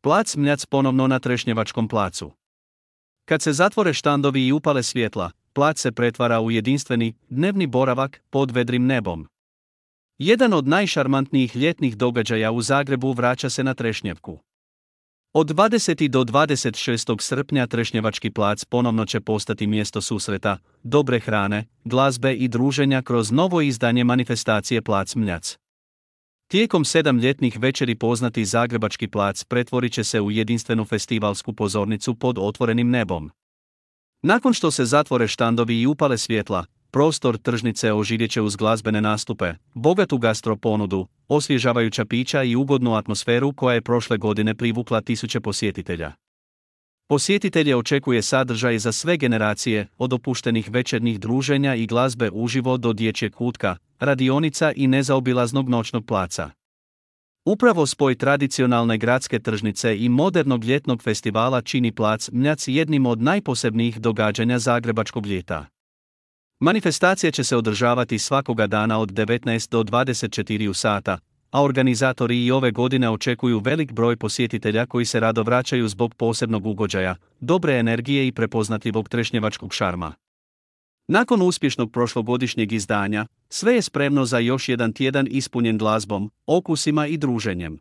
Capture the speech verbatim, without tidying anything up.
Plac Mljac ponovno na Trešnjevačkom placu. Kad se zatvore štandovi i upale svjetla, plac se pretvara u jedinstveni, dnevni boravak pod vedrim nebom. Jedan od najšarmantnijih ljetnih događaja u Zagrebu vraća se na Trešnjevku. Od dvadesetog do dvadeset šestog srpnja Trešnjevački plac ponovno će postati mjesto susreta, dobre hrane, glazbe i druženja kroz novo izdanje manifestacije Plac Mljac. Tijekom sedam ljetnih večeri poznati Zagrebački plac pretvorit će se u jedinstvenu festivalsku pozornicu pod otvorenim nebom. Nakon što se zatvore štandovi i upale svjetla, prostor tržnice oživjet će uz glazbene nastupe, bogatu gastro ponudu, osvježavajuća pića i ugodnu atmosferu koja je prošle godine privukla tisuće posjetitelja. Posjetitelje očekuje sadržaj za sve generacije, od opuštenih večernjih druženja i glazbe uživo do dječjeg kutka, radionica i nezaobilaznog noćnog placa. Upravo spoj tradicionalne gradske tržnice i modernog ljetnog festivala čini Plac Mljac jednim od najposebnijih događanja zagrebačkog ljeta. Manifestacija će se održavati svakoga dana od devetnaest do dvadeset četiri sata, a organizatori i ove godine očekuju velik broj posjetitelja koji se rado vraćaju zbog posebnog ugođaja, dobre energije i prepoznatljivog trešnjevačkog šarma. Nakon uspješnog prošlogodišnjeg izdanja, sve je spremno za još jedan tjedan ispunjen glazbom, okusima i druženjem.